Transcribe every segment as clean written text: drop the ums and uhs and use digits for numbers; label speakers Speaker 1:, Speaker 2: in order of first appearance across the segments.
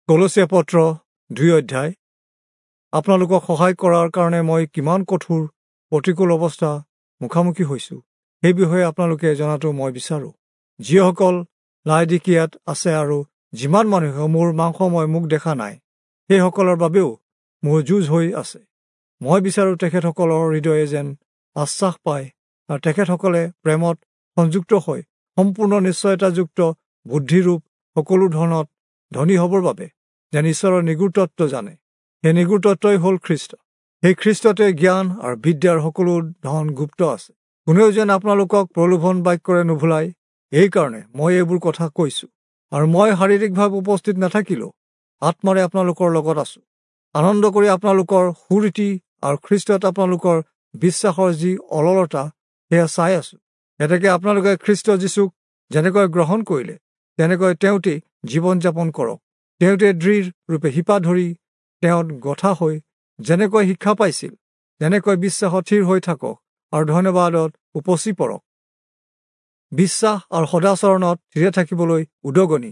Speaker 1: কলচীয়া পত্ৰ 2 অধ্যায়। আপোনালোকক সহায় কৰাৰ কাৰণে মই কিমান কঠোৰ প্ৰতিকূল অৱস্থা মুখামুখি হৈছোঁ সেই বিষয়ে আপোনালোকে জনাটো মই বিচাৰোঁ। যিসকল লাইদিকিয়াত আছে আৰু যিমান মানুহে মোৰ মাংসময় মোক দেখা নাই, সেইসকলৰ বাবেও মোৰ যুঁজ হৈ আছে। মই বিচাৰোঁ তেখেতসকলৰ হৃদয়ে যেন আশ্বাস পায় আৰু তেখেতসকলে প্ৰেমত সংযুক্ত হৈ সম্পূৰ্ণ নিশ্চয়তাযুক্ত বুদ্ধিৰূপ সকলো ধৰণত ধনী হ'বৰ বাবে যেন ঈশ্বৰৰ নিগূঢ় তত্ত্ব জানে। সেই নিগূঢ় তত্ত্বই হ'ল খ্ৰীষ্ট। সেই খ্ৰীষ্টতে জ্ঞান আৰু বিদ্যাৰ সকলো ধন গুপ্ত আছে। কোনেও যেন আপোনালোকক প্ৰলোভন বাক্যৰে নুভুলায়, এইকাৰণে মই এইবোৰ কথা কৈছোঁ। আৰু মই শাৰীৰিকভাৱে উপস্থিত নাথাকিলেও আত্মাৰে আপোনালোকৰ লগত আছোঁ। আনন্দ কৰি আপোনালোকৰ সুৰীতি আৰু খ্ৰীষ্টত আপোনালোকৰ বিশ্বাসৰ যি অললতা সেয়া চাই আছোঁ। এতেকে আপোনালোকে খ্ৰীষ্ট যীশুক যেনেকৈ গ্ৰহণ কৰিলে তেনেকৈ তেওঁতেই জীৱন যাপন কৰক। তেওঁতে দৃঢ় ৰূপে শিপা ধৰি তেওঁত গঠা হৈ যেনেকৈ শিক্ষা পাইছিল তেনেকৈ বিশ্বাসত থিৰ হৈ থাকক আৰু ধন্যবাদত উপচি পৰক। বিশ্বাস আৰু সদাচৰণত থিৰে থাকিবলৈ উদগনি।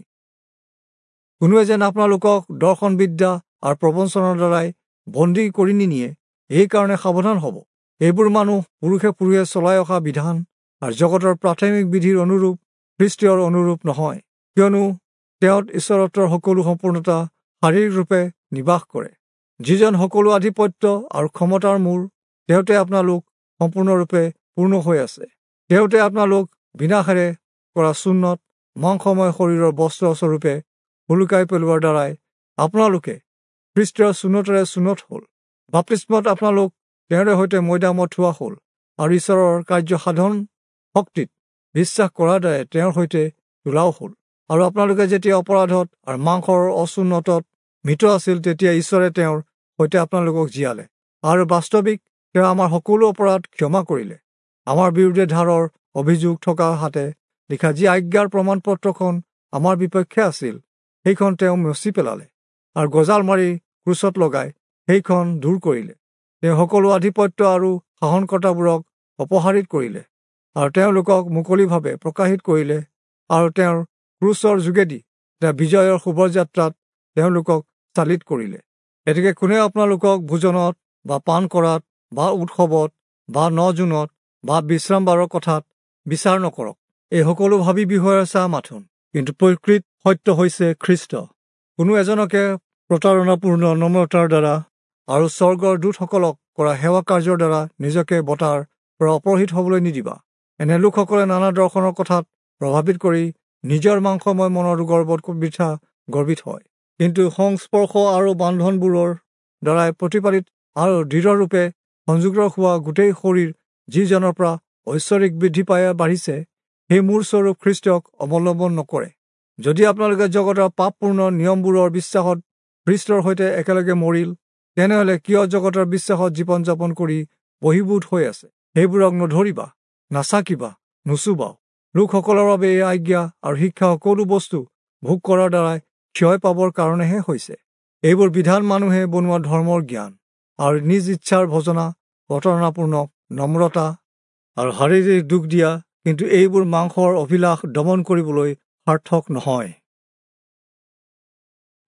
Speaker 1: কোনোৱে যেন আপোনালোকক দৰ্শন বিদ্যা আৰু প্ৰবঞ্চনাৰ দ্বাৰাই বন্দী কৰি নিনিয়ে, এইকাৰণে সাৱধান হ'ব। এইবোৰ মানুহ পুৰুষে পুৰুষে চলাই অহা বিধান আৰু জগতৰ প্ৰাথমিক বিধিৰ অনুৰূপ খ্ৰীষ্টীয়ৰ অনুৰূপ নহয়, কিয়নো তেওঁত ঈশ্বৰত্বৰ সকলো সম্পূৰ্ণতা শাৰীৰিক ৰূপে নিবাস কৰে। যিজন সকলো আধিপত্য আৰু ক্ষমতাৰ মূৰ, তেওঁতে আপোনালোক সম্পূৰ্ণৰূপে পূৰ্ণ হৈ আছে। তেওঁতে আপোনালোক বিনাশেৰে কৰা চুন্নত মাংসময় শৰীৰৰ বস্ত্ৰস্বৰূপে সোলোকাই পেলোৱাৰ দ্বাৰাই আপোনালোকে খ্ৰীষ্টৰ চুন্নতেৰে চুন্নত হ'ল। বাপ্তিস্মত আপোনালোক তেওঁৰে সৈতে মৈদামত থোৱা হ'ল আৰু ঈশ্বৰৰ কাৰ্য সাধন শক্তিত বিশ্বাস কৰাৰ দ্বাৰাই তেওঁৰ সৈতে তোলাও হ'ল। আৰু আপোনালোকে যেতিয়া অপৰাধত আৰু মাংসৰ অচুন্নতত মৃত আছিল, তেতিয়া ঈশ্বৰে তেওঁৰ সৈতে আপোনালোকক জীয়ালে আৰু বাস্তৱিক তেওঁ আমাৰ সকলো অপৰাধ ক্ষমা কৰিলে। আমাৰ বিৰুদ্ধে ধাৰৰ অভিযোগ থকা হাতে লিখা যি আজ্ঞাৰ প্ৰমাণপত্ৰখন আমাৰ বিপক্ষে আছিল, সেইখন তেওঁ মচি পেলালে আৰু গজাল মাৰি ক্ৰুচত লগাই সেইখন দূৰ কৰিলে। তেওঁ সকলো আধিপত্য আৰু শাসনকৰ্তাবোৰক অপসাৰিত কৰিলে আৰু তেওঁলোকক মুকলিভাৱে প্ৰকাশিত কৰিলে আৰু তেওঁৰ ক্ৰুচৰ যোগেদি তেওঁ বিজয়ৰ শুভযাত্ৰাত তেওঁলোকক চালিত কৰিলে। এতেকে কোনেও আপোনালোকক ভোজনত বা পান কৰাত বা উৎসৱত বা ন-জোনত বা বিশ্ৰামবাৰৰ কথাত বিচাৰ নকৰক। এই সকলো ভাবি বিষয়ৰ চাহ মাথোন, কিন্তু প্ৰকৃত সত্য হৈছে খ্ৰীষ্ট। কোনো এজনকে প্ৰতাৰণাপূৰ্ণ নম্ৰতাৰ দ্বাৰা আৰু স্বৰ্গৰ দূতসকলক কৰা সেৱা কাৰ্যৰ দ্বাৰা নিজকে বঁটাৰ পৰা অপহৃত হ'বলৈ নিদিবা। এনে লোকসকলে নানা দৰ্শনৰ কথাত প্ৰভাৱিত কৰি নিজৰ মাংসময় মনৰ গৰ্বত বৃথা গৰ্বিত হয়। কিন্তু সংস্পৰ্শ আৰু বান্ধোনবোৰৰ দ্বাৰাই প্ৰতিপালিত আৰু দৃঢ়ৰূপে সংযুক্ত হোৱা গোটেই শৰীৰ যিজনৰ পৰা ঐশ্বৰিক বৃদ্ধি পাই বাঢ়িছে, সেই মূৰ স্বৰূপ খ্ৰীষ্টক অৱলম্বন নকৰে। যদি আপোনালোকে জগতৰ পাপপূৰ্ণ নিয়মবোৰৰ বিশ্বাসত খ্ৰীষ্টৰ সৈতে একেলগে মৰিল, তেনেহ'লে কিয় জগতৰ বিশ্বাসত জীৱন যাপন কৰি বহিৰ্ভূত হৈ আছে? সেইবোৰক নধৰিবা, নাচাকিবা, নুচুবাও। লোকসকলৰ বাবে এই আজ্ঞা আৰু শিক্ষা সকলো বস্তু ভোগ কৰাৰ দ্বাৰাই ক্ষয় পাবৰ কাৰণেহে হৈছে। এইবোৰ বিধান মানুহে বনোৱা ধৰ্মৰ জ্ঞান আৰু নিজ ইচ্ছাৰ ভজনা, প্ৰতাৰণাপূৰ্ণ নম্ৰতা আৰু শাৰীৰিক দুখ দিয়া, কিন্তু এইবোৰ মাংসৰ অভিলাষ দমন কৰিবলৈ সাৰ্থক নহয়।